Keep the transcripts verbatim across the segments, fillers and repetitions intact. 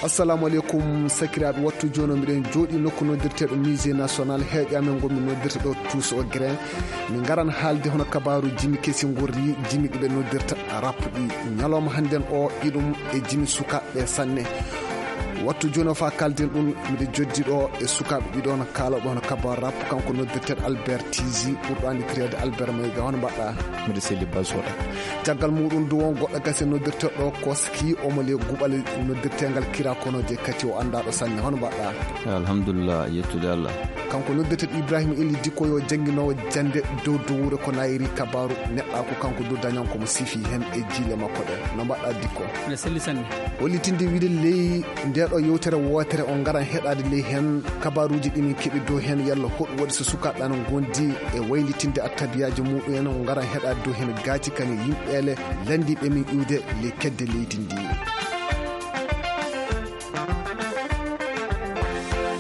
Assalamu aleykum, sakiraaɓe. Wattu jooni o, miɗen jooɗii nokku noddirteeɗo Musée National, heeƴa men ngonmi noddirta ɗo Tuus o Grain. Min ngaran haalde hono kabaaru jimi kesi ngorri, jimi ɗi ɓe noddirta rap ɗi. Ñalawma hannden o, iɗum e jimi sukaaɓe sanne. Wattu jooni o, faa kaalden ɗum, miɗo joddi ɗo e sukaaɓe ɗiɗo no kaalooɓe hono kabaaru rap, kanko noddirteeɗo Albert Tizi, ɓurɗo anndireede Albert Mayga. Hono mbaɗɗaa? Miɗo selli, Basoɗa. Caggal muɗum du, won goɗɗo gasi noddirteeɗo Koski, omo le guɓal noddirteengal Kira Kono je kati, o anndaaɗo sanne. Hono mbaɗɗaa? Alhamdulillah, yettude Allah. Kanko noddirteeɗo Ibrahima Eli Dikko, yo jannginoowo jannde dow dowuure ko nayri kabaaru neɗɗaaku, kanko du dañan ko mo sifi heen e jiile makko ɗe. No mbaɗɗaa, Dikko? Miɗo selli sanne. Hollitinde wiide ley nde ɗo yewtere wootere, on ngaran heɗaade ley heen kabaaruuji ɗi min keɓi dow heen, yalla hoɗum waɗi so sukaaɓe ana ngondi e waylitinde attabiyaaji muɗum en, on ngaran heɗaade dow heen gaaci kañe yimɓeele lanndiiɓe min iwde ley kedde leydi ndi.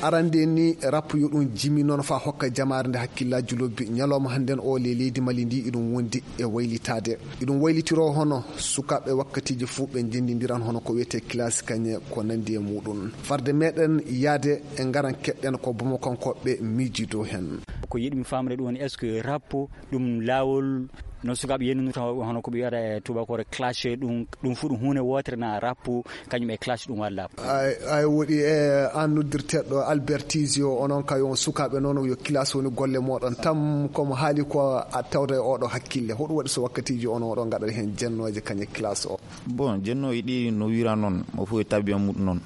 Arande ni, rap yo ɗum jimi noon faa hokka jamaare nde hakkillaaji lobbi. Ñalawma hannden o, ley leydi Mali ndi, iɗum wondi e waylitaade. Iɗum waylitiroo hono sukaaɓe wakkatiiji fuu ɓe njenndindiran hono ko wiyetee classe kañe ko nanndi e muɗum. Farde meɗen yahde e ngaran keɗɗen ko Bamakokooɓe miijii dow heen. Ko yiɗmi faamde ɗum woni, est-ce que rap ɗum laawol no sukaaɓe yennundirta hono ko ɓe wiyata e tubakoore clash, ɗum, ɗum fuu ɗum huunde wootere na rap, kañum e clash ɗum waɗa laaɓa? Ay, ay, woɗi e an noddirteeɗo Albert Tizio, onon kay on sukaaɓe noon, yo classe woni golle mooɗon. Tam ko mo haali ko a tawta e oɗo hakkille. Hoɗum waɗi so wakkatiiji on oɗo ngaɗata heen jennooje kañe classe o? Bon, jennooji ɗi no wira noon, mo fof e tabiya muɗum noon.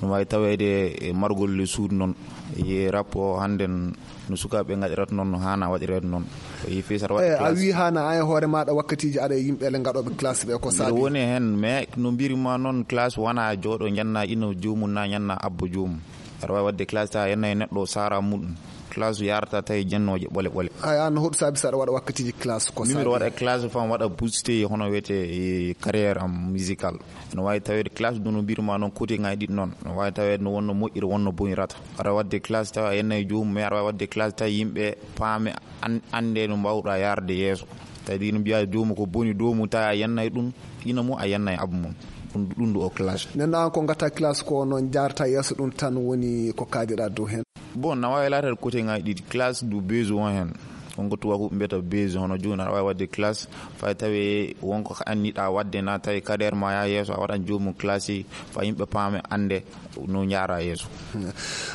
No waawi taweede e margol le suudu noon. E rap o hannden no sukaaɓe ngaɗirata noon, no haana waɗireede noon. E fii so aɗa waɗa Eh, a classe. Wii haana an e hoore maaɗa wakkatiiji aɗa e yimɓe le ngaɗooɓe classe ɓe ko Mbiɗa saabi? Woni heen, mais no mbiri ma noon, classe wona jooɗo njanna ino joomum na njanna abbo joomum. Aɗa waawi waɗde classe tawa yenna e neɗɗo o saara muɗum. Classe yarata tawi jennooje ɓole ɓole. Ay, an hoɗum saabi so aɗa waɗa wakkatiiji classe ko Min mbiɗa saabi? Waɗa classe fam waɗa booster hono wiyetee e carrière am musical. No waawi taweede classe ɗum no mbirma noon côté ngaji ɗiɗi noon. No waawi taweede no wonno moƴƴiri wonno bonirata. Aɗa waɗde classe tawa a yenna e joomum, mais aɗa waawi waɗde classe tawa yimɓe paame an-, annde no mbaawɗa yarde yeeso. Tawi ɗi no mbiya joomum ko boni dow mum tawa a yenna e ɗum, ina mum a yenna e abbo mum. Ɗum, ɗum ɗo o classe. Nden an ko ngatta classe ko noon jaarta yeeso ɗum tan woni ko kaajeɗa dow heen? Bon, na waawi laataade côté ngaji ɗiɗi. Classe du besoin heen. Wonko tubaako mbiyata besoin, hono jooni aɗa waawi waɗde classe, fay tawi wonko anndiɗa waɗde na tawi carrière ma yaa yeeso, a waɗan joomum classe, fay yimɓe paame annde no njaara yeeso.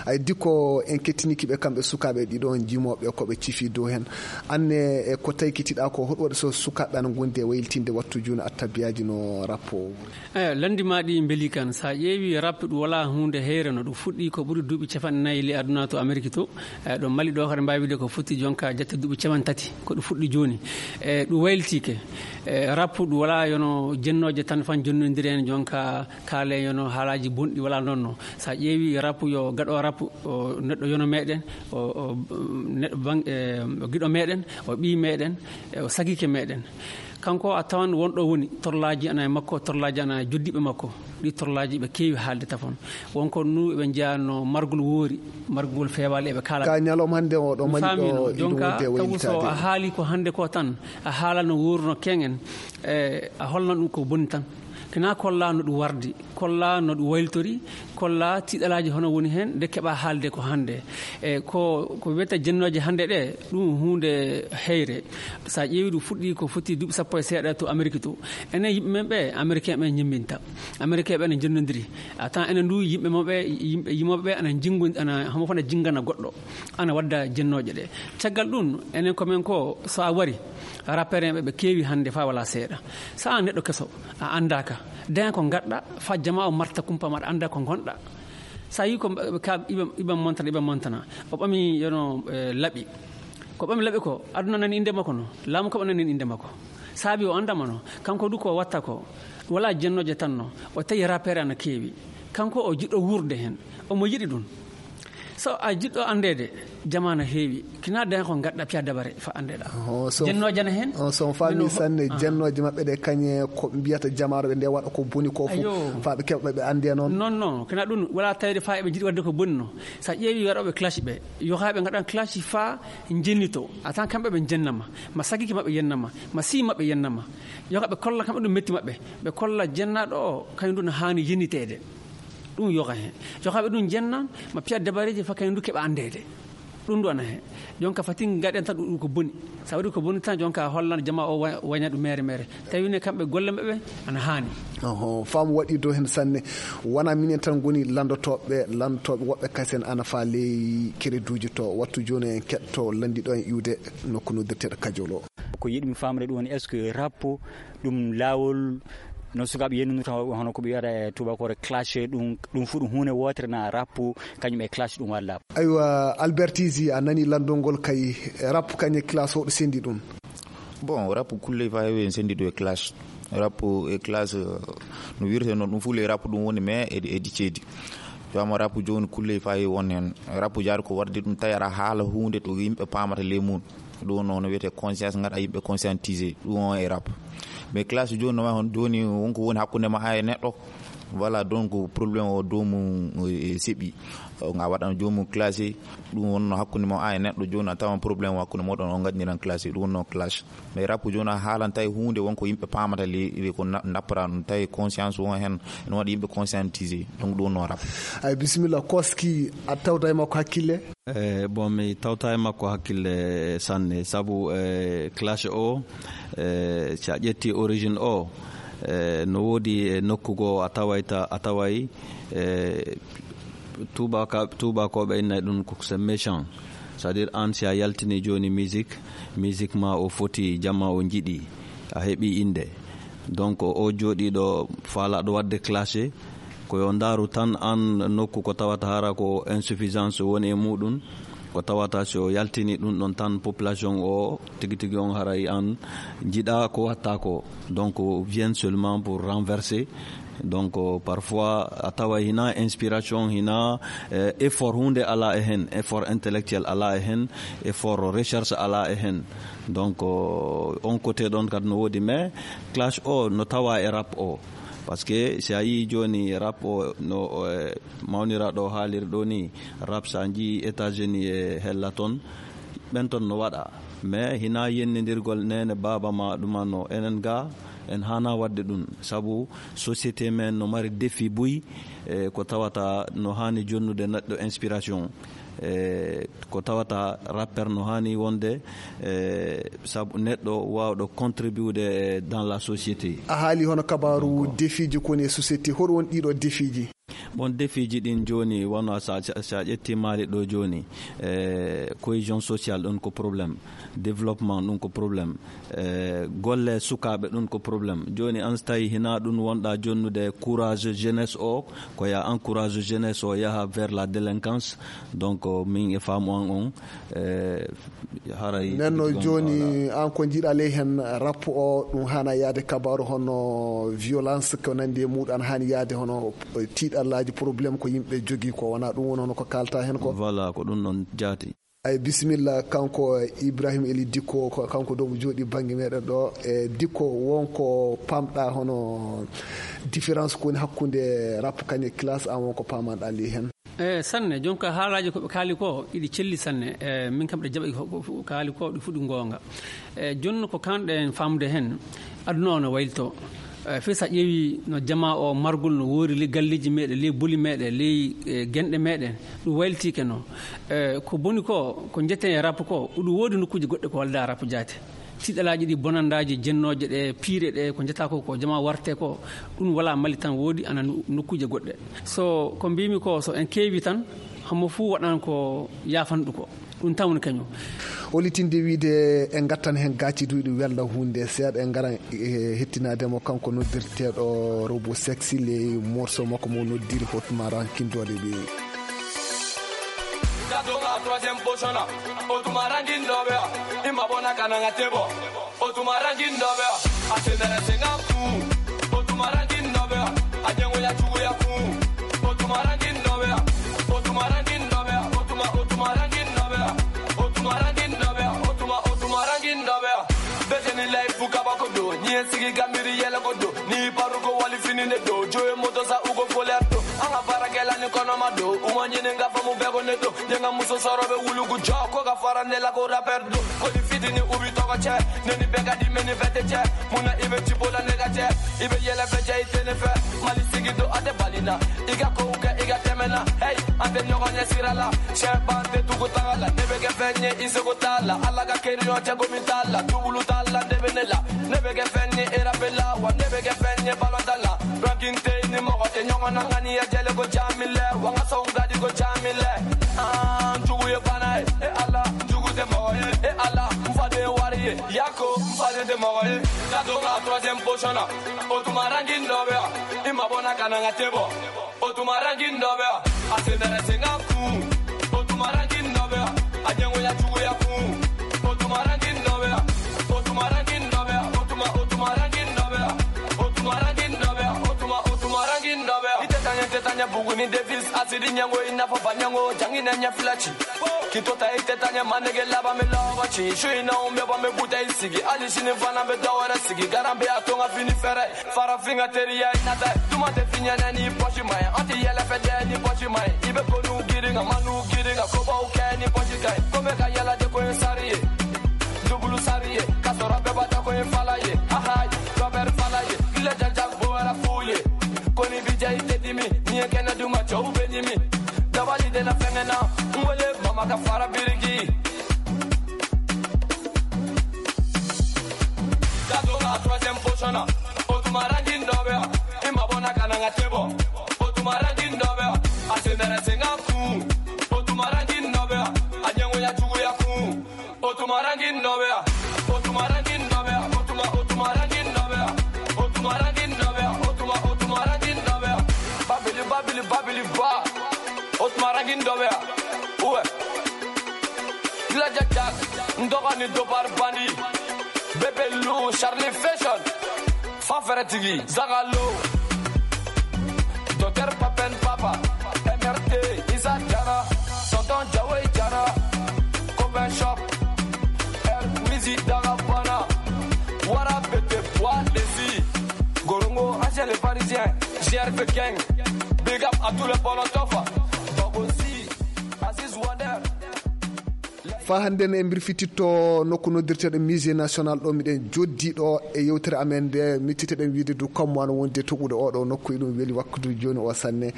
Ay, Dikko, en kettiniki ɓe kamɓe sukaaɓe ɗiɗo on jimooɓe ko ɓe cifi dow heen. Anne, e ko taykitiɗa ko, hoɗum waɗi so sukaaɓe ana ngondi e waylitinde wattu jooni attabiyaaji no rap o? Eyo, lanndi ma ɗi mbeli kan. So a ƴeewi rap ɗum wala huunde heyre no ɗum fuɗɗi ko ɓuri duuɓi capanɗe nayi le aduna to Ameriki to. E ɗo Mali ɗo kadi mbaawi wiide ko fotti jonka jette duuɓi capanɗe tati ko ɗum fuɗɗi jooni. E ɗum waylitike. E rap ɗum wala yono jennooje tan fan jonnondiri en jonka kaale yono haalaaji bonɗi wala noon no. So a ƴeewi rap yo gaɗo rap o neɗɗo yono meɗen, o, o, neɗɗo bang-, e, o giɗo meɗen, o ɓii meɗen, e, o sagike meɗen. Kanko a tawan won ɗo woni, torlaaji ana e makko, torlaaji ana e joddiiɓe makko. Ɗi torlaaji ɓe keewi haalde tafon. Won ko nu ɓe njeya no margol woori, margol feewaali eɓe kaala. Ka ñalawma hannde o ɗo Mali ɗo, ɗum iɗum wonde e waylitaade. Tawu so a haali ko hannde ko tan, a haala no wooruno keŋen, e, a holna ɗum ko boni tan. Kina kolla no ɗum wardi, kolla no ɗum wayltori, kolla tiiɗalaaji hono woni heen, nde keɓa haalde ko hannde. E ko, ko wiyata jennooje hannde ɗe, ɗum huunde heyre. So a ƴeewi ɗum fuɗɗi ko foti duuɓi sappo e seeɗa to Ameriki to. Enen yimɓe men ɓe, Americain ɓe ñemminta. Americain ɓe ene jennondiri. A tawan enen ndu yimɓe maɓɓe, yimɓe yimooɓe ɓe ana jingo-, ana, homo fana jingana goɗɗo. Ana wadda jennooje ɗe. Caggal ɗum, enen ko men ko, so a wari, rappeur en ɓe, ɓe keewi hannde faa wala seeɗa. So a neɗɗo keso, a anndaaka. Daña ko ngaɗɗa, faa jama o marta kumpa ma, aɗa annda ko ngonɗa. So a yii ko mba-, ka iɓe, iɓe montana, iɓe montana. O ɓami yono, eh, laɓi. Ko ɓami laɓi ko, aduna nani innde makko no, laamu kam nani innde makko. Saabi o anndamano, kanko du ko watta ko, wala jennooje tan no, o tawi rappeur ana keewi. Kanko o jiɗɗo wuurde heen, omo yiɗi ɗum. So a jiɗɗo anndeede, jamaana heewi. Kina daña ko ngadda piya dabare fa anndeɗa. Oh, so Jennooje ana heen. Oh, so on faami Mino- sanne, Ah. jennooje maɓɓe ɗe kañe ko mbiyata jamaaro ɓe nde waɗa ko boni ko fof. Ayo. Fa ɓe keɓa ɓe annde noon. Non, non, kina ɗum wala tawde fa eɓe jiɗi waɗde ko boni no. Sa ƴeewi waɗooɓe clash ɓe, yo haa ɓe ngaɗan clash fa jennito. A tan kamɓe ɓe jennama. Ma sagiki maɓɓe yennama. Ma si maɓɓe yennama. Yo haa ɓe kolla kamɓe ɗum metti maɓɓe. Ɓe kolla jennaaɗo o, kañum ɗum no haani yenniteede. Ɗum yoga heen. Yoga ɓe ɗum jennan, ma piya dabareeji fa kañum du keɓa anndeede. Ɗum du ana heen. Jonka fati ngaɗen tan ɗum ko boni. Sa waɗi ko boni tan jonka hollan jama o wa-, waña ɗum mere mere. Tawi ne kamɓe golle maɓɓe ana haani. Oho, faamu waɗi dow heen sanne. Wona minen tan ngoni lanndotooɓe, lanndotooɓe woɓɓe kasen ana faa ley kereduuji to. Wattu jooni en keɗto lanndiɗo en iwde nokku noddirteeɗo Kajolo. Ko yiɗmi faamde ɗum woni, est-ce que rap ɗum laawol no sukaaɓe yennundirta hono ko ɓe wiyata e tubakoore clash, ɗum, ɗum fof ɗum huunde wootere na rap kañum e clash ɗum waɗa laaɓa? Aywa, Albert Easy, a nani lanndol ngol kay, rap kañum e clash hoɗo senndi ɗum? Bon, rap kulle fa heewi en senndi ɗum e clash. Rap e clash, eh, no wirte noon, ɗum fof le rap ɗum woni, mais eɗi, eɗi ceedi. Fama rap jooni kulle fa heewi on heen. Rap jaari ko waɗde ɗum tawi aɗa haala huunde to yimɓe paamata ley mum. Ɗum noon no wiyetee conscience, ngaɗa yimɓe conscientisé. Ɗum on e rap. Mais clash jooni no wayi hono jooni wonko woni hakkunde ma a e neɗɗo. Voilà, donc problème o dow mum e seɓi. Nga waɗan joomum clashé. Ɗum wonno hakkunde mo a e neɗɗo jooni a tawan problème hakkunde moɗon on ngaɗniran clashé. Ɗum wonno clash. Mais rap jooni a haalan tawi huunde wonko yimɓe paamata le, le ko na-, nappara ɗum tawi conscience won heen, ene waɗi yimɓe conscientisé. Donc ɗum wonno rap. Ay, bisimilla, Koski, a tawta e makko hakkille? Eh, bon, mi tawta e makko hakkille sanne, sabu, eh, clash o, eh, si a ƴetti origine o, eh, no woodi e nokku goo a taway ta-, a taway, eh, tuubaka-, tuubakooɓe innay ɗum ko c'est méchant. C'est-à-dire, aan si a yaltini jooni musique, musique ma o foti, jama o njiɗi, a heɓi innde. Donc, o jooɗiiɗo faalaaɗo waɗde clashé, ko yo ndaaru tan aan nokku ko tawata hara ko insuffisance woni e muɗum, ko tawata si o yaltini ɗum ɗon tan population o tigi tigi on haray aan njiɗa ko watta ko. Donc, vient seulement pour renverser. Donc, parfois, a tawa hina inspiration, hina, eh, effort hunde ala e hen, effort intellectuel ala e hen, effort recherche ala e hen. Donc, on côté ɗon kadi no woodi, mais clash o no tawa e rap o. Parce que si a yii jooni rap o no, eh, mawniraaɗo haaliri ɗo ni, rap sa njii États-Unis e hella ton, ɓen ton no waɗa. Mais hina yennindirgol nene baaba ma ɗuma no enen ga, en hana waɗde ɗum. Sabu société men no mari défi buy, eh, ko tawata no hani jonnude neɗɗo inspiration. Eh, ko tawata rappeur no hani wonde, eh, sabu neɗɗo wawɗo contribude dans la société. A haali hono kabaru défiji ko woni e société. Hoɗo woni ɗiɗo défiji? Bon, défiji ɗin jooni, wano sa, sa, sa ƴetti Mali ɗo jooni, eh, cohésion sociale ɗon ko problème, développement ɗum ko problème, eh, golle sukaaɓe ɗum ko problème. Jooni an so tawi hina ɗum wonɗa jonnude courage jeunesse o, ko ya encourage jeunesse o yaha vers la délinquance. Donc, min e faamu an on, eh, haray nden no jooni, an ko njiɗa ley hen rap o, ɗum hana yaade kabaru hono violence ko nandi e muɗum, an hani yaade hono tiiɗallaji, problème ko yimɓe jogii ko, wona ɗum woni hono ko kalta hen ko? Voilà, ko ɗum ɗon jaati. Ay, bisimilla, kanko Ibrahim Eli Dikko, ko kanko ɗo mo jooɗi bannge meɗen ɗo. E Dikko, wonko pamɗa hono différence ko woni hakkunde rap kañe classe, an wonko pamanɗa ley hen? E sanne, jonka haalaaji ko ɓe kaali ko, iɗi celli sanne. E min kam ɗe jaɓi ko, ko, ko kaali ko, ɗi fuɗi goonga. E jonno ko kanɗen famde hen, aduna o no waylito. E fii sa ƴeewi no jama o margol no woori ley galleeji meɗen, ley boli meɗen, ley, e, genɗe meɗen, ɗum waylitike no. E ko boni ko, ko jeten e rap ko, ɗum woodi nokkuuji goɗɗe ko walda rap jaati. Tiiɗalaaji ɗi, bonandaaji jennooje ɗe, piire ɗe, ko njata ko, ko jama warte ko, ɗum wala Mali tan woodi, ana no-, nokkuuje goɗɗe. So ko mbimi ko, so en keewi tan, homo fuu waɗan ko yaafanɗo ko. Ɗum tan woni kañum. Holitinde wiide en ngattan heen gaaci duyɗi welna huunde seeɗa, en ngaran e hettinaade mo kanko noddirteeɗo Robo Sexy ley morceau makko mo noddiri Hotmara Kindoɗe ɓe. Ka to ka troisième position na. Otuma ranking dɔ bɛ yan. I mabɔ na ka na n ka te bɔ. Otuma ranking dɔ bɛ yan. A sen bɛrɛ sen ka kun. Otuma ranking dɔ bɛ yan. A ɲɛngoya juguya kun. Otuma ranking dɔ bɛ yan. Otuma ranking dɔ bɛ yan. Sigi gambiri yela goɗɗo, ni parugo wali fini neɗɗo, joye moto sa ugo folerto, anga bara gelani kono maɗɗo, uma nyene nga famu bego neɗɗo, yenga muso sorobe wulugu jo, ko ga fara nela ko rapper do, ko di fitini ubi togo che, neni bega di meni vete che, muna ibe chipola nega che, ibe yela fe che itene fe, mali sigi do ate balina, iga ko uke iga temena, hey, ante nyogo nye sirala, sheba ante tugu tagala, nebe ge fenye isogo tala, alaga keri yo chago mi tala, tubulu tala, nebe nela, nebe ge fenye era bela, wa nebe ge fenye balon tala, ranking te ni mogo te nyogo na ngani ya jele go jamile, wa nga song gadi go jamile, ah, tugu ye fana, e ala, tugu te mogo, e ala, mfade wari, yako, mfade te mogo, kato nga troisième position na, otuma ranking dobe, ima bona kana nga tebo, otuma ranking dobe, asendere senga ku, otuma ranking dobe, anyango ya tugu ya ku, otuma ranking dobe, otuma ranking dobe, otuma, otuma ranking dobe, otuma ranking dobe, otuma, otuma ranking dobe. Ite tanya, ite tanya bugu ni Davis, asidi nyango ina fa banyango, jangi na nya filachi. Kitota ite tanya manege laba me lava chi, shui na umbe ba me buta isigi, ali sini fana me dawara sigi, garambe atonga fini fere, fara finga teri ya inata, tuma te finya na ni poshi mai, anti yela fede ni poshi mai, ibe konu giringa, manu giringa, koba uke ni poshi kai, kome ka yela de ko sariye, dubulu sariye, kasora beba ta ko falaye, hahai, Robert falaye, gila jajak boara fuye, koni bijai te dimi, ni kena duma chau benimi, dabali de na fengena, ngole mama ka fara birigi. Kato nga troisième position na, otuma ranking dobe, ima bona kana nga tebo, otuma ranking dobe, asendere senga ku, otuma ranking dobe, anyango ya tugu ya ku, otuma ranking dobe, otuma ranking dobe, otuma, otuma ranking dobe, otuma ranking dobe, otuma, otuma ranking dobe, babili, babili, babili, ba, otuma ranking dobe, uwe. Kila Jack Jack, Ndogani Dobar Bandi, Bebe Lou, Charlie Fashion, Faferetigi, Zagalo, Docteur Papen Papa, M R T, Isa Jara, Tonton Jawe Jara, Copain Shop, El Wizi Dagabana, Wara Bete Bois Desi, Gorongo, Angèle Parisien, G R V Gang, big up à tous les Polotofa, Babosi, Aziz Wonder. Faa hannde ne, en mbirfititto nokku noddirteeɗo Musée National ɗo miɗen joddi ɗo e yewtere amen nde, mittiteɗen wiide du kammu ana wondi e toɓude oɗo nokku, eɗum weli waktu jooni o sanne.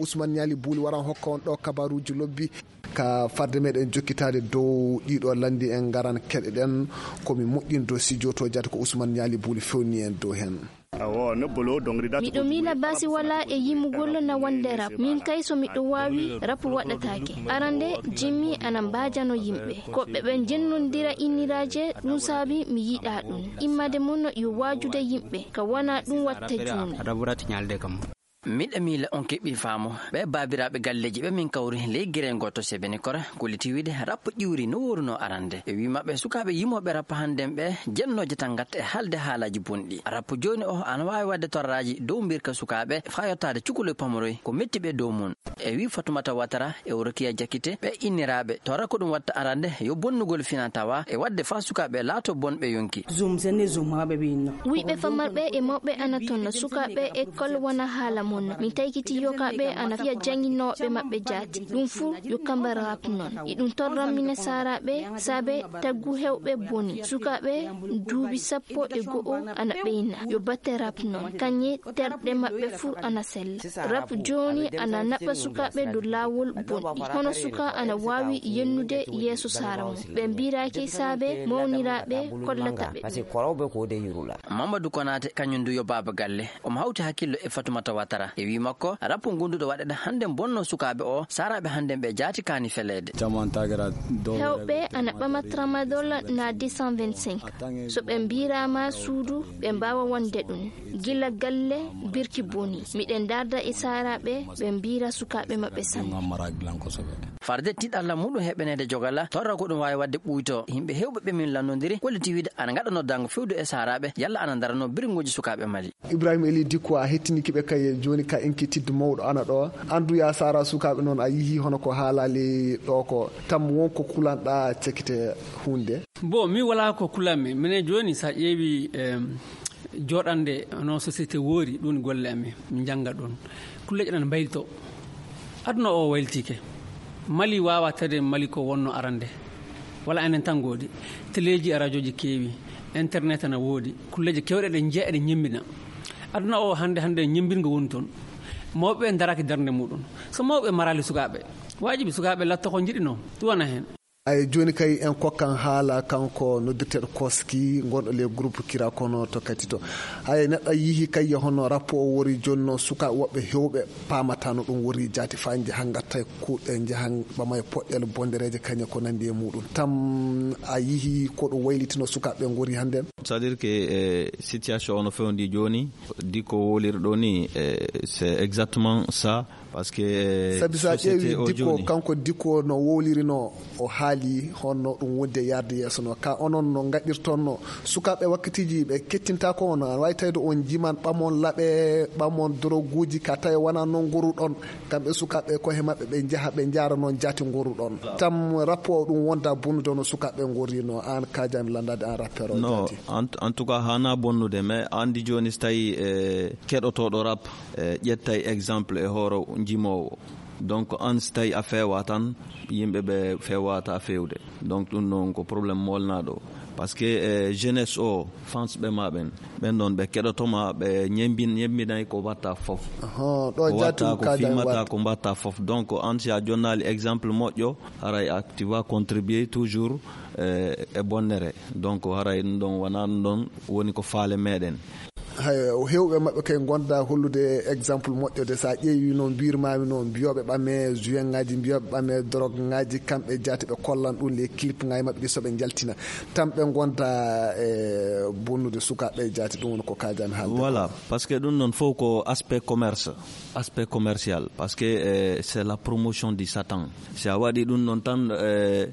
Ousmane Niali Bouli waran hokka on ɗo kabaruuji lobbi. Ka farde meɗen jokkitaade dow ɗiɗo lanndi en ngaran keɗoɗen ko mi moƴƴinto si joto jaati ko Ousmane Niali Bouli fewni en dow hen. Awo, ne bolo dongri dat. Miɗo miila basi wala e yimugol na wonde rap. Min kay so miɗo waawi, rap waɗataake. Arande, Jimmy ana mbaajano yimɓe. Ko ɓe ɓen jennondira inniraaje, ɗum saabi mi yiɗa ɗum. Immade mum yo waajude yimɓe, ka wona ɗum watta juumi. Raburat ñalde kam. Miɗo miila on keɓi faamu. Ɓe baabiraaɓe galleeji ɓe min kawri ley gere gooto Sebenikora, kolliti wiide rap ƴiwri no wooruno arande. E wii maɓɓe sukaaɓe yimooɓe rap hannden ɓe jennooje tan ngatta e haalde haalaaji bonɗi. Rap jooni o ana waawi waɗde torraaji dow mbirka sukaaɓe faa yottaade cukalel pamoroy ko metti ɓe dow mum. E wii Fatumata Watara e Orokiya Jakite ɓe inniraaɓe torra ko ɗum watta arande yo bonnugol fina tawa e waɗde faa sukaaɓe laato bonɓe yonki. Zum sene zum maɓe ɓe inno. Wuyɓe famarɓe e mawɓe ana ton, sukaaɓe école wona haala mon. Mi taykiti yokaaɓe ana fiya jannginooɓe maɓɓe jaati. Ɗum fuu yo kambe rap non. Iɗum torran mine saaraaɓe saabe taggu heewɓe boni. Sukaaɓe duuɓi sappo e go'o ana ɓeyna. Yo batte rap non. Kañe terɗe maɓɓe fuu ana sella. Rap jooni ana naɓa sukaaɓe dow laawol bonɗi. Hono suka ana waawi yennude yeeso saara mum. Ɓe mbiraaki saabe mawniraaɓe kollata ɓe. Parce que koroɓe ko de yurula. Mamadou Konaté, kañum du yo baaba galle. Omo hawti hakkillo e Fatoumata Ouattara. E wii makko, rap ngonduɗo waɗeɗe hannden bonno sukaaɓe o, saaraaɓe hannden ɓe jaati kaani feleede. Heewɓe ana ɓama tramadol na deux cent vingt-cinq. So ɓe mbiraama suudu, ɓe mbaawa wonde ɗum. Gila galle, birki boni. Miɗen darda e saaraaɓe, ɓe mbira sukaaɓe maɓɓe sanne. Farde tiɗalla muɗum heɓaneede jogala, torra ko ɗum waawi waɗde ɓuyto. Yimɓe heewɓe ɓe min lannondiri, kolliti wiide ana ngaɗa noddaango fewdo e saaraaɓe, yalla ana ndarano birnguuji sukaaɓe Mali. Ibrahima Eli Dikko, a hettiniki ɓe kay jooni ka inquiétude mawɗo ana ɗo. An du ya saara sukaaɓe noon a yihi hono ko haalaali ɗo ko. Tam won ko kulanɗa cekite huunde? Bon, mi wala ko kulanmi. Minen jooni sa ƴeewi, em, Jooɗande no société woori, ɗum golle amen, min njannga ɗum. Kulleeje ɗan mbaylito. Aduna o wayltike. Mali waawa tawde Mali ko wonno arande. Wala enen tan ngoodi. Teleeji e rajooji keewi. Internet ana woodi. Kulleeje kewɗe ɗe njeya, ɗe ñemmbina. Aduna o hannde, hannde ñemmbingo woni toon. Mawɓe ɓe ndaraaki darnde muɗum. So mawɓe maraali sukaaɓe, waajibi sukaaɓe latto ko njiɗinoo. Ɗum wona heen. Ay, jooni kay en kokkan haala kanko noddirteeɗo Koski, gonɗo le groupe Kira kono to Katito. Hay neɗɗo yihi kay hono rapport o wori jooni no sukaaɓe woɓɓe heewɓe paamata no ɗum wori jaati faa njaha ngatta e kuuɗe, njaha ɓama e poɗɗeele bondereeje kañe ko nanndi e muɗum. Tam a yihi ko ɗum waylitino sukaaɓe ngori hannde? C'est-à-dire que, eh, situation ono fewndi jooni, di ko woliri ɗo ni, eh, c'est exactement ça. Parce que, eh, sabi so a société ƴeewi o dikko jooni, kanko dikko no wowlirino, o haali honno ɗum wondi e yarde yeeso no ka onon no ngaɗirton no sukaaɓe wakkatiiji ɓe kettinta ko on, a wawi tawde on jiman ɓamon laɓe, ɓamon droguji ka tawi wona noon goruɗon. Kamɓe sukaaɓe ko he maɓɓe ɓe njaha ɓe njaara noon jaati goruɗon. Tam rapport ɗum wonda bonnude no sukaaɓe gorrino an kajami landade an rapport o? Non, jaati. En, en tout cas hana bonnude, mais andi jooni so tawi, eh, keɗotoɗo rap, eh, ƴettay exemple e hoore jimowo. Donc an so tawi a feewa tan, yimɓe ɓe feewata feewde. Donc ɗum noon ko problème molnaɗo. Parce que, eh, jeunesse o, fans ɓe ma ɓen, ɓen ɗon ɓe keɗotoma, ɓe ñembin-, ñembinay ko watta fof. Ahan, ɗo ko jaati watta ɗum ko kajan fimata watta. Ko mbatta fof. Donc an si a jonnali exemple moƴƴo, haray a, tu vas contribuer toujours, eh, e bonnere. Donc haray ɗum ɗon wona ɗum ɗon woni ko faale meɗen. Hay, heewɓe maɓɓe kay gonda hollude exemple moƴƴo de, so a ƴeewi no mbirmami no mbiyoɓe ɓame juin ngaji, mbiyoɓe ɓame drogue ngaji, kamɓe jaati ɓe kollan ɗum les clip ngaji maɓɓe ɗi soɓe jaltina tan ɓe gonda e bonnude sukaaɓe jaati, ɗum woni ko kajami haalde. Voilà, parce que ɗum ɗon fof ko aspect commerce, aspect commercial, parce que, eh, c'est la promotion du Satan. Si a waɗi ɗum ɗon tan, eh,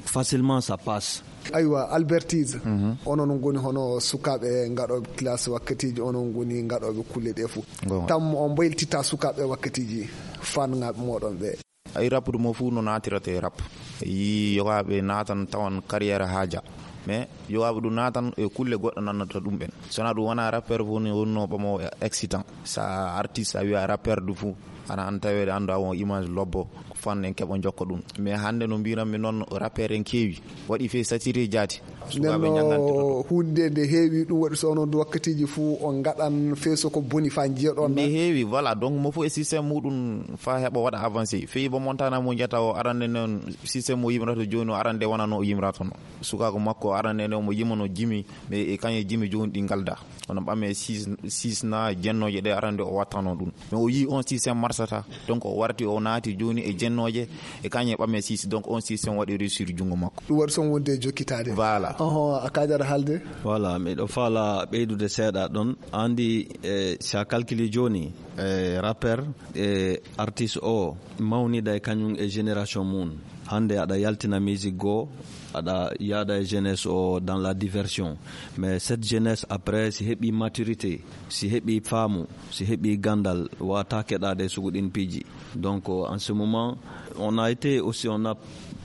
facilement ça passe. Aywa, Albertise, onon ngoni hono sukaaɓe ngaɗooɓe classe wakkatiiji, onon ngoni ngaɗooɓe kulle ɗe fof. Goonga. Tam on mbayltita sukaaɓe wakkatiiji fannaaɓe mooɗon ɓe? Ay, rappude mo fof no naatirata e rap. Yi yogaaɓe naatan tawan carrière haaja. Mais yogaaɓe ɗum naatan e kulle goɗɗe nannata ɗum ɓen. Sona ɗum wona rappeur fof ni wonno ɓamo excitant. Sa artiste a wiya rappeur du fof. Ana an taweede anndu a on image lobbo, ko fan en keɓa jokka ɗum. Mais hannde no mbiranmi noon, rappeur en keewi. Waɗi fee satiri jaati. Sukaaɓe ñanganti ɗo. Huunde nde heewi, ɗum waɗi so onon wakkatiiji fof on ngaɗan fee so ko boni faa njiya ɗon. Nde heewi, voilà. Donc mo fof e système muɗum faa heɓa waɗa avancé. Fii bo montana mo njata o arande noon système mo yimrata jooni o arande wona no o yimrata no. Sukaaku makko arande noon mo yimano jimi, mais e kañe jimi jooni ɗi ngalda. Kono ɓame six, six na jennooje ɗe arande o wattano ɗum. Mais o yii on système marsata. Donc o warti o naati jooni e jennooje e kañe ɓame six. Donc on système waɗi réussir junngo makko. Ɗum waɗi son wonde e jokkitaade. Voilà. Oho, a kaajata haalde? Voilà, miɗo faala ɓeydude seeɗa ɗon. Andi, eh, si a calcule jooni, eh, rappeur, eh, artiste o mawnida e kañum e génération mum. Hannde aɗa yaltina musique goo, aɗa yaada e jeunesse o dans la diversion. Mais cette jeunesse après, si heɓi maturité, si heɓi faamu, si heɓi gandal, wata keɗade e sugu ɗin piiji. Donc, euh, en ce moment, on a été aussi, on a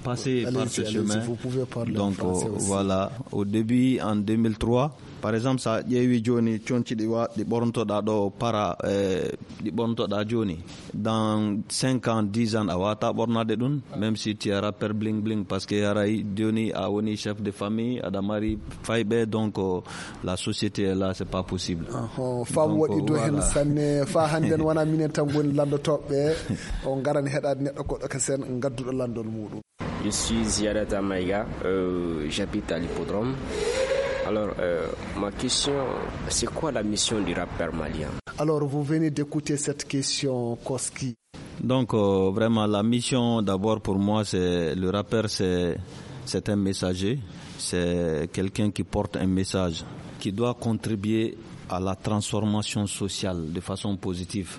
passé par ce chemin. Allez-y, vous pouvez parler en français aussi. Donc, euh, voilà, au début, en deux mille trois, par exemple, sa ƴeewi jooni conci ɗi wa-, ɗi ɓornotoɗa ɗo para, eh, ɗi ɓornotoɗa jooni. Dans cinq ans, dix ans, a wata ɓornade ɗum, même si tu es rappeur bling bling, parce que haray jooni a woni chef de famille, aɗa mari fayɓe, donc, euh, la société est là, c'est pas possible. Aho, faamu waɗi do hen sanne, fa hannden wona minen tan ngoni lanndotooɓe, on ngaran heɗaade neɗɗo goɗɗo ka sen ngadduɗo lanndol muɗum. Je suis Ziadata Maïga, euh, j'habite à l'hippodrome. Alors, euh, ma question, c'est quoi la mission du rappeur malien ? Alors, vous venez d'écouter cette question, Koski. Donc, euh, vraiment, la mission, d'abord, pour moi, c'est le rappeur, c'est, c'est un messager, c'est quelqu'un qui porte un message, qui doit contribuer à la transformation sociale de façon positive.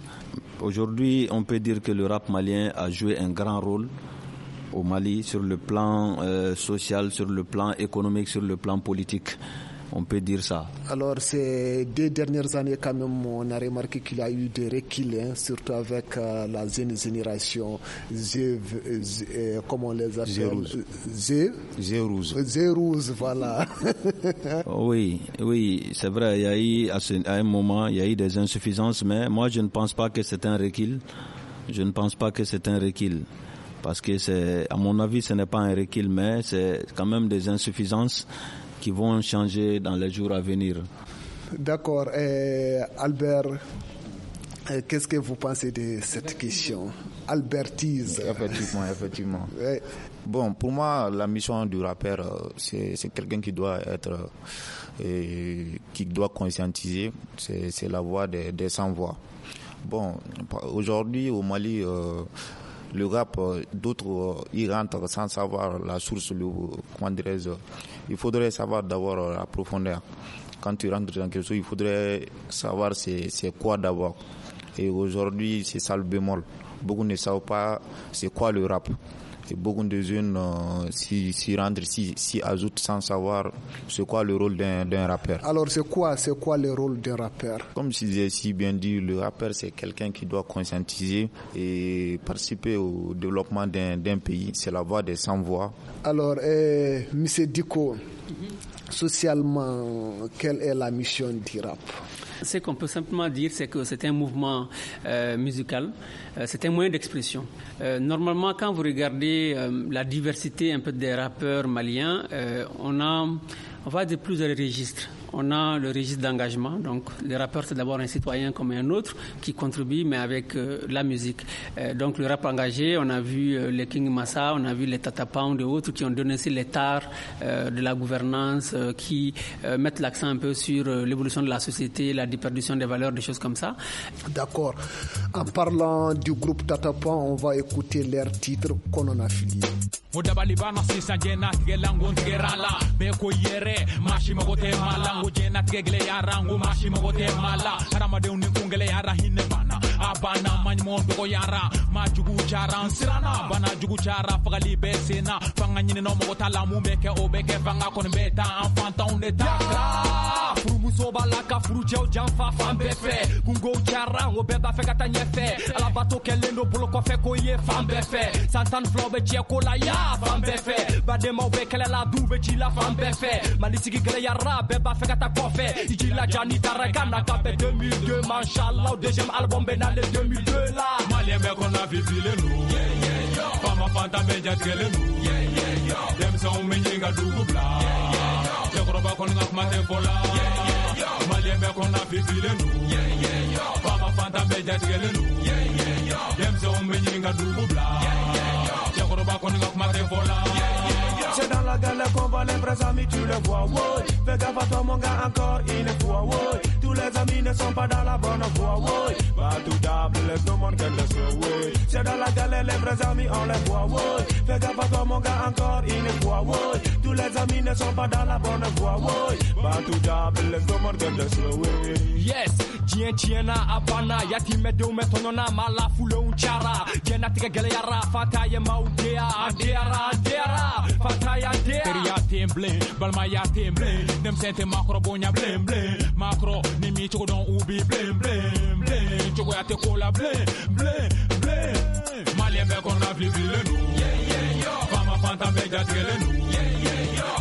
Aujourd'hui, on peut dire que le rap malien a joué un grand rôle au Mali sur le plan, euh, social, sur le plan économique, sur le plan politique. On peut dire ça. Alors, ces deux dernières années, quand même, on a remarqué qu'il y a eu des reculs, hein, surtout avec, euh, la jeune génération, Z, Z, euh, comment on les appelle ? Z rouge. Z, Z rouge. Z rouge, voilà. Oui, oui, c'est vrai, il y a eu à ce- à un moment, il y a eu des insuffisances, mais moi, je ne pense pas que c'est un recul. Je ne pense pas que c'est un recul. Parce que c'est, à mon avis, ce n'est pas un recul, mais c'est quand même des insuffisances qui vont changer dans les jours à venir. D'accord. Euh, Albert, euh, qu'est-ce que vous pensez de cette question ? Albertise. Effectivement, effectivement. Ouais. Bon, pour moi, la mission du rappeur, euh, c'est c'est quelqu'un qui doit être, euh, qui doit conscientiser. C'est c'est la voix des, des sans voix. Bon, aujourd'hui au Mali, euh, le rap, euh, d'autres, euh, y rentrent sans savoir la source, le, comment dirais-je, il faudrait savoir d'abord, euh, la profondeur. Quand tu rentres dans quelque chose, il faudrait savoir c'est c'est quoi d'abord. Et aujourd'hui, c'est ça le bémol. Beaucoup ne savent pas c'est quoi le rap. Et beaucoup de jeunes, euh, s'y s'y rentrent, s'y s'y ajoutent sans savoir c'est quoi le rôle d'un d'un rappeur. Alors, c'est quoi, c'est quoi le rôle d'un rappeur ? Comme je l'ai si bien dit, le rappeur, c'est quelqu'un qui doit conscientiser et participer au développement d'un d'un pays. C'est la voix des sans voix. Alors, euh, Monsieur Diko, socialement, quelle est la mission du rap ? Ce qu'on peut simplement dire, c'est que c'est un mouvement, euh, musical, euh, c'est un moyen d'expression. Euh, normalement, quand vous regardez, euh, la diversité un peu des rappeurs maliens, euh, on a, on va dire, plusieurs registres. On a le registre d'engagement, donc le rappeur, c'est d'abord un citoyen comme un autre qui contribue, mais avec, euh, la musique. Euh, donc le rap engagé, on a vu, euh, les King Massa, on a vu les Tata Pound et autres qui ont donné aussi les tares, euh, de la gouvernance, euh, qui, euh, mettent l'accent un peu sur, euh, l'évolution de la société, la déperdition des valeurs, des choses comme ça. D'accord. En parlant du groupe Tata Pound, on va écouter leur titre qu'on en a fini. Mo dabali bana sisa jena tige lango tige rala. Be ko yere, mashi mago te mala. Ngo jena tige gele yara, ngo mashi mago te mala. Harama de unin kungele yara hinne bana. Abana mani mo dogo yara. Ma jugu chara sirana. Bana jugu chara fagali be sena. Fanga nyine no mo tala mu beke o beke fanga kon beta enfant on est tard. Furu muso bala ka furu jew janfa fan be fe. Gungo chara, ngo beba fe kata nyefe. Ala bato kele ndo bolo ko fe ko ye fan be fe. Santan flow be che ko la ya fan be fe. Bademaw be kɛlɛla du bɛ ci la fan bɛɛ fɛ. Mali sigi gɛlɛyara, bɛɛ b'a fɛ ka taa kɔfɛ. I ci la ja ni taara ka na ka bɛn deux mille deux ma, inchallah, deuxième album bɛ nalen deux mille deux la. Maliyɛn bɛɛ kɔnɔ fifilen don. Faama fantan bɛɛ jatigɛlen don. Denmisɛnw bɛ ɲini ka dugu bila. Cɛkɔrɔba kɔni ka kuma tɛ fɔ la. Maliyɛn bɛɛ kɔnɔ fifilen don. Faama fantan bɛɛ jatigɛlen don. Denmisɛnw bɛ ɲini ka dugu bila. Cɛkɔrɔba kɔni ka kuma tɛ fɔ la. C'est dans la galère qu'on voit les vrais amis, tu les vois, ouais. Fais gaffe à toi, mon gars, encore une fois, ouais. Tous les amis ne sont pas dans la bonne voie, ouais. Pas tout d'able, laisse le monde qu'elle le soit, ouais. C'est dans la galère, les vrais amis, on les voit, ouais. Fais gaffe à toi, mon gars, encore une fois, ouais. Tous les amis ne sont pas dans la bonne voie, ouais. Pas tout d'able, laisse le monde qu'elle le soit, ouais. Yes, diɲɛ tiɲɛna, a banna, yatimɛdenw bɛ tɔɲɔna, maa lafulenw cayara, diɲɛlatigɛ gɛlɛyara, fata ye maaw deya, an deyara, an deyara, fata y'an deya. Teriya tɛ yen bilen, balimaya tɛ yen bilen, denmisɛn tɛ maakɔrɔ bonya bilen, bilen, maakɔrɔ ni m'i cogo dɔn, u b'i bilen, bilen, bilen, cogoya tɛ ko la bilen, bilen, bilen. Maliyɛn bɛɛ kɔnɔna filifilen don. Faama fantan bɛɛ jatigɛlen don.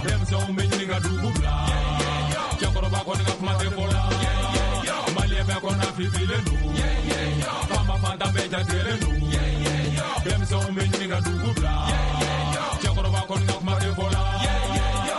Denmisɛnw bɛ ɲini ka dugu bila. Cɛkɔrɔba kɔni ka kuma tɛ fɔ la. Maliyɛn bɛɛ kɔnɔna filifilen don. Faama fantan bɛɛ jatigɛlen don. Denmisɛnw bɛ ɲini ka dugu bila. Cɛkɔrɔba kɔni ka kuma tɛ fɔ la.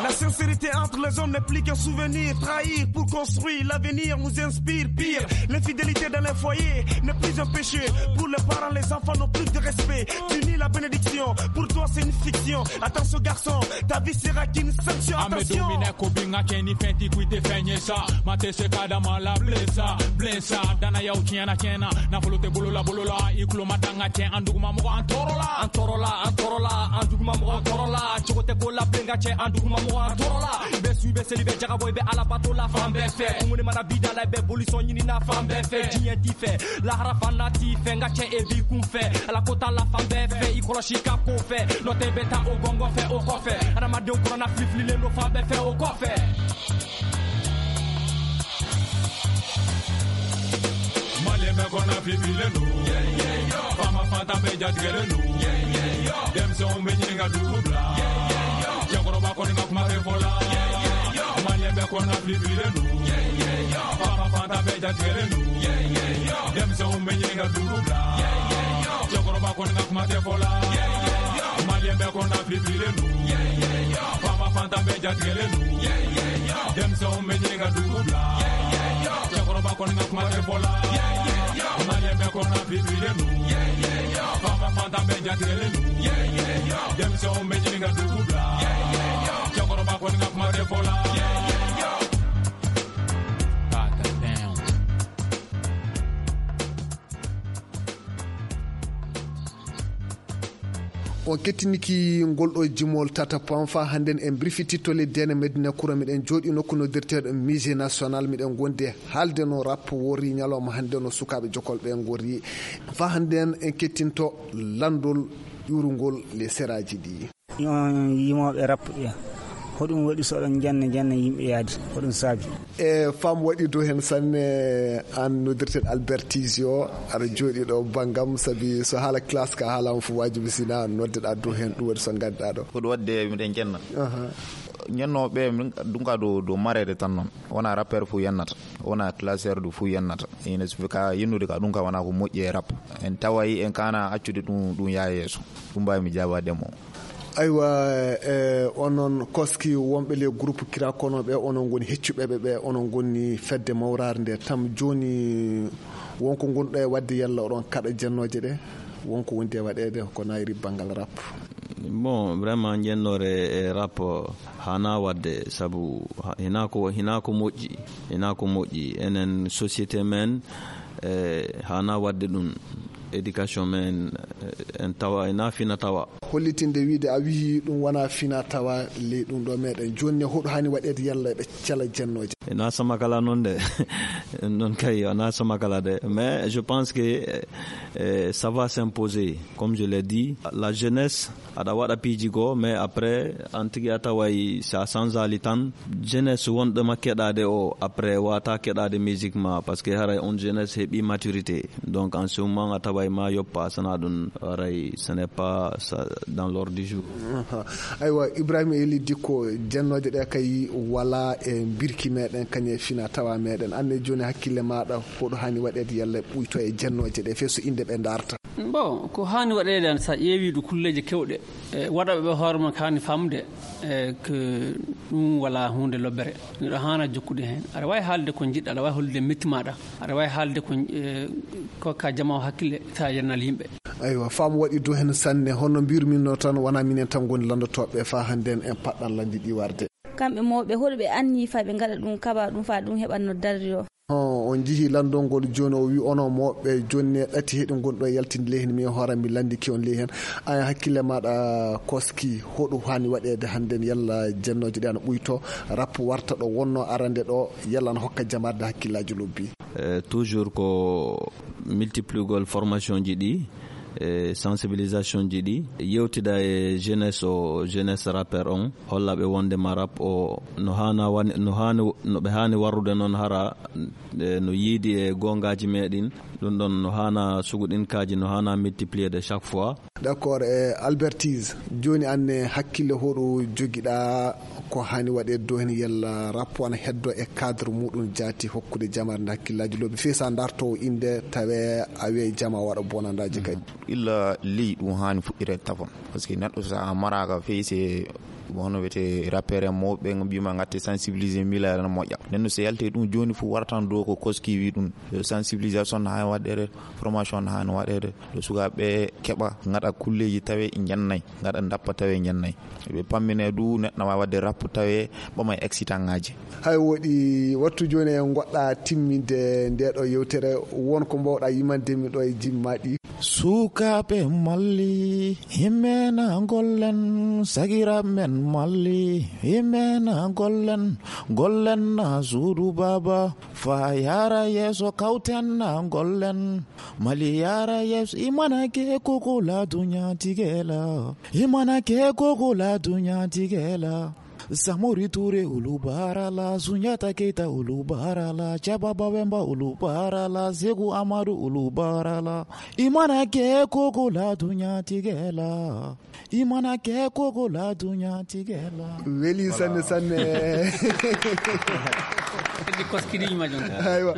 La sincérité entre les hommes n'est plus qu'un souvenir. Trahir pour construire l'avenir nous inspire pire. L'infidélité dans les foyers n'est plus un péché. Pour les parents, les enfants n'ont plus de respect. Tu nies la bénédiction. Pour toi, c'est une fiction. Attention, garçon, ta vie sera qu'une sanction. Attention. An bɛ don min na ko bi, n ka cɛ ni fɛn tɛ, ko i tɛ fɛn ye sa. Maa tɛ se ka da maa la bilen sa, bilen sa. Danayaw tiɲɛna, tiɲɛna. Nafolo tɛ bolo la, bolo la. I tulo ma da n ka cɛ, an duguma mɔgɔ, an tɔɔrɔ la. An tɔɔrɔ la, an tɔɔrɔ la. An duguma mɔgɔ, an tɔɔrɔ la. Cogo tɛ ko la bilen, n ka cɛ, an duguma mɔgɔ, an tɔɔrɔ la. I bɛ su, i bɛ seli, i bɛ jagabɔ, i bɛ Alabato la fan bɛɛ fɛ. Kunguni mana bi da la, i bɛ bolisɔn ɲini na fan bɛɛ fɛ. Diɲɛ t'i fɛ, lahara fana t'i fɛ, n ka cɛ, e b'i kun fɛ. Ala ko t'a la fan bɛɛ fɛ, i kɔlɔsi ka ko fɛ. N'o tɛ, i bɛ taa o gɔngɔn fɛ, o kɔfɛ. Adamadenw kɔnɔna filifililen don fan bɛɛ fɛ, o kɔfɛ. Malien bɛ kɔnɔ fifile nu. Faama fantan bɛ jatigɛlen nu. Denmisɛnw bɛ ɲini ka dugu bila. Cɛkɔrɔba kɔni ka kuma tɛ fɔ la. Malien bɛ kɔnɔ fifile nu. Faama fantan bɛ jatigɛlen nu. Denmisɛnw bɛ ɲini ka dugu bila. Cɛkɔrɔba kɔni ka kuma tɛ fɔ la. Malien bɛ kɔnɔ fifile nu. Faama fantan bɛɛ jatigɛlen don. Denmisɛnw bɛ ɲini ka dugu bila. Cɛkɔrɔba kɔni ka kuma tɛ fɔ la. Malien bɛɛ kɔnɔ bibilen don. Faama fantan bɛɛ jatigɛlen don. Denmisɛnw bɛ ɲini ka dugu bila. Cɛkɔrɔba kɔni ka kuma tɛ fɔ la. On kettiniki ngol ɗo jimol tata pon fa hannden en birfititto leydi ene Medina Kura. Miɗen jooɗi nokku noddirteeɗo Musée National, miɗen ngondi haalde no rap wori ñalawma hannde no sukaaɓe jokol ɓe ngori. Fa hannden en kettinto lanndol ƴuurungol le seraaji ɗi. On yimooɓe rap ɓe, hoɗum waɗi so oɗon njanna njanna yimɓe yaade? Hoɗum saabi? E fam waɗi dow heen sanne. An noddirten Albert Tizio, aɗa jooɗi ɗo banngam, sabi so haala classe ka haalama fof, wajibi sina noddeɗa dow heen, ɗum waɗi so ngannduɗa ɗo. Ko ɗum waɗde miɗen njenna. Aha. Njennooɓe min ɗum ka dow, dow mareede tan noon. Wona rappeur fof yennata, wona classeur du fof yennata. Ina sufi ka yennude ka ɗum ka wona ko moƴƴi e rap. En taway en kana accude ɗum, ɗum yaa yeeso. Ɗum mbawi mi jaabaade mo. Aywa, e onon koski wonɓe le groupe kira kono ɓe, onon ngoni heccuɓe ɓe, ɓe onon ngoni fedde mawraare nde tam. Joni wonko ngonɗo e wadde, yalla oɗon kaɗa jennooje ɗe? Wonko wondi e waɗeede ko nayri banngal rap? Bon, vraiment, njennoore e rap hana wadde, sabu ha-, hina ko, hina ko moƴƴi, hina ko moƴƴi. Enen société men, e, hana wadde ɗum. Éducation men, e, en tawa, ena fina tawa. Hollitinde wiide a wiyi ɗum wona fina tawa ley ɗum ɗo meɗen. Joni ne hoɗo hani waɗeede yalla ɓe cala jennooje? Ena sama kala noon de. Noon kay, wona sama kala de. Mais je pense que, e, e, ça va s'imposer. Comme je l'ai dit, la jeunesse aɗa waɗa piiji goo, mais après, an tigi a taway si a sanzaali tan, jeunesse wonɗo ma keɗaade o, après, wata keɗaade musique ma, parce que haray on jeunesse heɓi maturité. Donc, en ce moment, a taway ma yoppa, sana ɗum, haray, ce n'est pas ça, dans l'ordre du jour. Aha. Aywa, Ibrahima Eli Dikko, jennooje ɗe kay wala e mbirki meɗen, kañe fina tawa meɗen. Anne joni hakkille maɗa, hoɗo hani waɗeede yalla ɓuyto e jennooje ɗe, fe so inde ɓe darta? Bon, ko haani waɗeede, an, so a ƴeewi ɗo kulleeji keewɗe, e, waɗooɓe ɓe hoore mum ko haani faamde, e, ko ɗum wala huunde lobbere. Neɗɗo haana jokkude heen. Aɗa waawi haalde ko njiɗɗa, aɗa waawi hollude metti maaɗa, aɗa waawi haalde ko, e, kokka jama o hakkille, so a yennal yimɓe. Aywa, faamu waɗi dow heen sanne. Hono mbirmi no tan, wona minen tan ngoni lanndotooɓe faa hannden en paɗɗan lanndi ɗi warde. Kamɓe mawɓe, hoɗo ɓe anni faa ɓe ngaɗa ɗum, kaɓa ɗum faa ɗum heɓa no darri o? On, on njihii lanndol ngol jooni, o wi onon mawɓe jooni ne ɗati heɗi ngonɗo e yaltinde ley heen, mi hoore mi lanndiki on ley heen. An hakkille maaɗa koski, hoɗum haani waɗeede hannden, yalla jennooje ɗe ana ɓuyto, rap warta ɗo wonno arande ɗo, yalla ana hokka jamarde hakkillaaji lobbi? Eh, toujours ko multiplier gol formation ji ɗi, e sensibilisation ji ɗi, yewtida e jeunesse o, jeunesse rappeur on, holla ɓe wonde ma rap o no haana wani, no haani, no ɓe haani warrude noon hara, e no yiidi e goongaaji meɗen. Ɗum ɗon no haana suguɗinkaaji, no haana multiplier de chaque fois. D'accord, e Albertise, jooni an ne hakkille hoɗo jogiɗa ko haani waɗeede dow heen, yalla rap ana heddo e cadre muɗum jaati hokkude jamaare nde hakkillaaji lobbi fii so a darto innde tawe a wi'ay jama waɗa bonandaaji kadi? Illa ley ɗum haani fuɗɗireede tafon. Parce que neɗɗo so a maraaka fii se hono wiyetee rappeur en mawɓe ɓe mbiyma ngatte sensibiliser mila ene moƴƴa. Nden no so yaltee ɗum jooni fof waratan dow ko koski wi ɗum. Sensibilisation no haani waɗeede, formation no haani waɗeede. Ɗo sukaaɓe keɓa ngaɗa kulleeji tawe njennay, ngaɗa ndappa tawe njennay. Ɓe pammine du neɗɗo waawa waɗde rap tawe ɓama e accidentaaji. Hay woɗi wattu jooni en ngoɗɗa timminde nde ɗo yewtere, won ko mbawɗa yimande mi ɗo e jimmaɗi? Sukaaɓe malli, himmena gollen, sagiraaɓe men malli, himmena gollen, gollen na suudu baaba, fa yaara yeeso kawten na gollen. Mali yaara yeeso, imana ke koko la dunya tigela, imana ke koko la dunya tigela. Samori Ture ulu baara la, Sunjata Keita ulu baara la, Caba Bawemba ulu baara la, Seku Amadu ulu baara la. I mana kɛ ko ko la dunyatigɛ la, i mana kɛ ko ko la dunyatigɛ la. Weli sanne sanne. Kadi koskiri ma jonta. Aywa,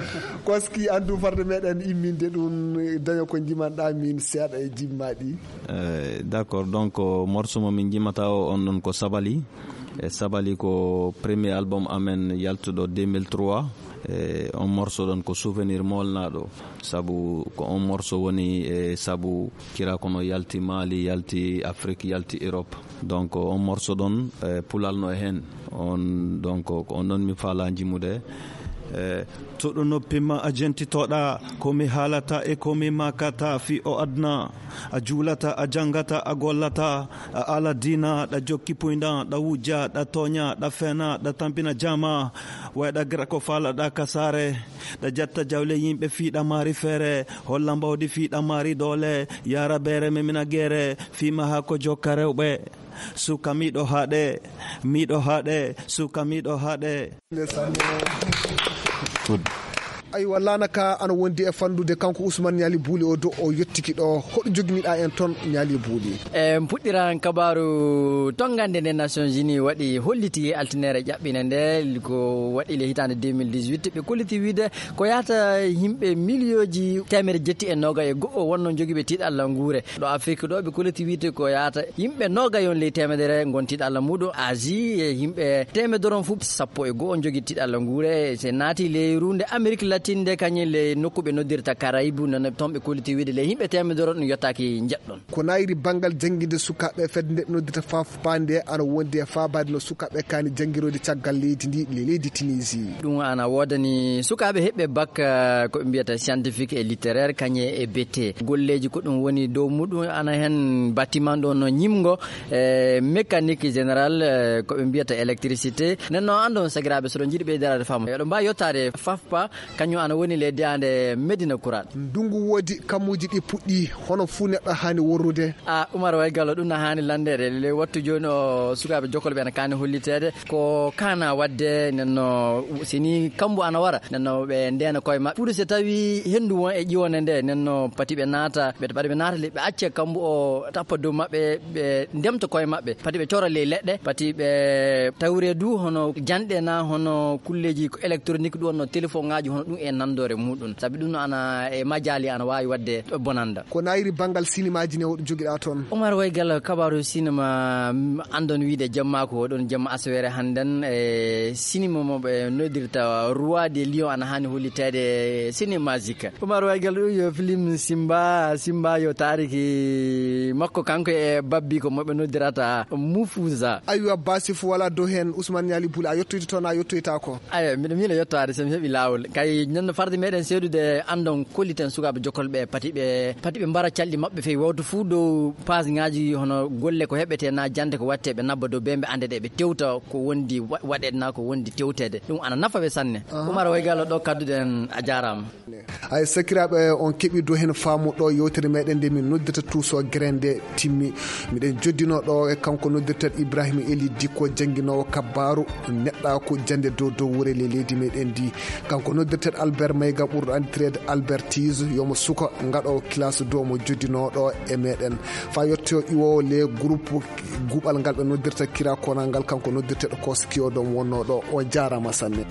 koski andu farde meɗen imminde ɗum, daño ko jimanɗa min seeɗa e jimmaɗi. Eh, d'accord, donc, morceau mo min jimata o on ɗon ko Sabali. E Sabali ko premier album amen yaltuɗo deux mille trois. E on morceau ɗon ko souvenir molnaɗo, sabu ko on morceau woni e sabu kira kono yalti Mali, yalti Afrique, yalti Europe. Donc on morceau ɗon, e, pulal no e hen. On, donc ko on ɗon mi faala jimude. E, toɗo noppi ma a jentitoɗa ko mi haalata e ko mi makata fi o adna. A juulata, a janngata, a gollata, a ala diina, ɗa jokki puynda, ɗa wujja, ɗa tooña, ɗa fena, ɗa tampina jama, wayɗa gira ko faalaɗa ka saare, ɗa jatta jawle yimɓe fii ɗa maari feere, holla mbawdi fii ɗa maari doole, yaara beere memina geere, fii ma haa ko jokka rewɓe. Suka miɗo haɗe, miɗo haɗe, suka miɗo haɗe. Aywa, laana ka ana wondi e fandude kanko Ousmane Ñaali Buuli o do o yettiki ɗo. Hoɗo joginiɗa en ton Ñaali Buuli? E puɗɗiran kabaru tongande nde Nations Unies waɗi holliti e altinere ƴaɓɓine nde ko waɗi le hitande deux mille dix-huit, ɓe kolliti wiide ko yahata yimɓe miliyonji teemere jetti e noga e go'o wonno jogiiɓe tiiɗalla nguure. Ɗo Afrique ɗo ɓe kolliti wiide ko yahata yimɓe noga yon ley teemedere gon tiiɗalla muɗum. Asie e yimɓe teemedere on fu sappo e go'o jogi tiiɗalla nguure. Se naati ley runde Amérique latine nde kañum le nokku ɓe noddirta Caraïbe, nana ton ɓe kolliti wiide le yimɓe teemedere on ɗum yottaki jeɗɗon. Ko nayri bangal jannginde sukaaɓe fedde nde ɓe noddirta faf pande ana wondi e faabaade no sukaaɓe kaani janngiroyde caggal leydi ndi le leydi Tunisie. Ɗum ana woodani sukaaɓe heɓɓe bac, eh, ko ɓe mbiyata scientifique et littéraire, kañe e B T. Golleeji ko ɗum woni dow muɗum ana heen bâtiment ɗo no ñimngo, eh, mécanique générale, eh, ko ɓe mbiyata électricité. Nden noon anndon sagiraaɓe so ɗon njiɗi ɓeydaraade faamu. Eɗo mbaawi yottaade faf pa, kañum ana woni le diyaande Medina Kuraat. Ndungu woodi kammuuji ɗi puɗɗi, hono fuu neɗɗo haani worrude. A Umar Way Gallo, ɗum na haani lanndeede. Le wattu jooni o sukaaɓe jokkol ɓe ana kaani holliteede. Ko kaana waɗde, nden no si ni kambu ana wara, nden no ɓe ndeena koye maɓɓe. Pour so tawi henndu won e ƴiwonde nde, nden no pati ɓe naata, ɓe, pati ɓe naata le, ɓe acca kambu o tappa dow maɓɓe, ɓe ndemta koye maɓɓe. Pati ɓe cora ley leɗɗe, pati ɓe tawre du hono janɗe na, hono kulleeji ko électronique ɗum, hono téléphone ŋaaji, hono ɗum e nanndore muɗum. Sabi ɗum no ana e majaali ana waawi waɗde bonannda. Ko nayri banngal sinimaaji ne, hoɗo jogiɗa toon? Umar Way Gallo, kabaaru sinima, mm, anndon wiide jamma ko oɗon jamma asawere hannden, e sinima mo ɓe noddirta Roi des Lions ana haani holliteede sinima Zika. Umar Way Gallo, ɗum yo film Simba, Simba yo taariki makko kanko e babbi ko mo ɓe noddirata Mufuza. Aywa, Basif wala dow heen, Ousmane Ñaali Buli, a yettoyta toon, a yettoyta ko? Ayo, mbiɗo miila yettaade so mi heɓi laawol. Kay, nden no farde meɗen seedude anndon kolliten sukaaɓe jokkol ɓe, pati ɓe, pati ɓe mbara calɗi maɓɓe feewi, wawtu fuu dow page ŋaaji hono golle ko heɓete na jannde ko watte, ɓe nabba dow bee ɓe annde ɗe, ɓe tewta ko wondi wa-, waɗeede na ko wondi tewteede. Ɗum ana nafa ɓe sanne. Aha. Umar Way Gallo ɗo kadduɗen, a jaaraama. Ay, sakiraaɓe, on keɓi dow heen faamu ɗo yewtere meɗen nde min noddirta Tuuso Grende timmi. Miɗen joddino ɗo e kanko noddirteeɗo Ibrahima Eli Dikko, jannginoowo kabbaaru neɗɗaaku jannde dow dow wure le leydi meɗen ndi. Kanko noddirteeɗo Albert Mayga, ɓurɗo anndireede Albert Tiis, yomo suka ngaɗoowo kilaas dow mo joddinoo ɗo e meɗen. Faa yetto iwoowo le groupe guɓal ngal ɓe noddirta Kira Konal ngal, kanko noddirteeɗo Koskiyo ɗo mo wonnoo ɗo. O jaaraama sanne.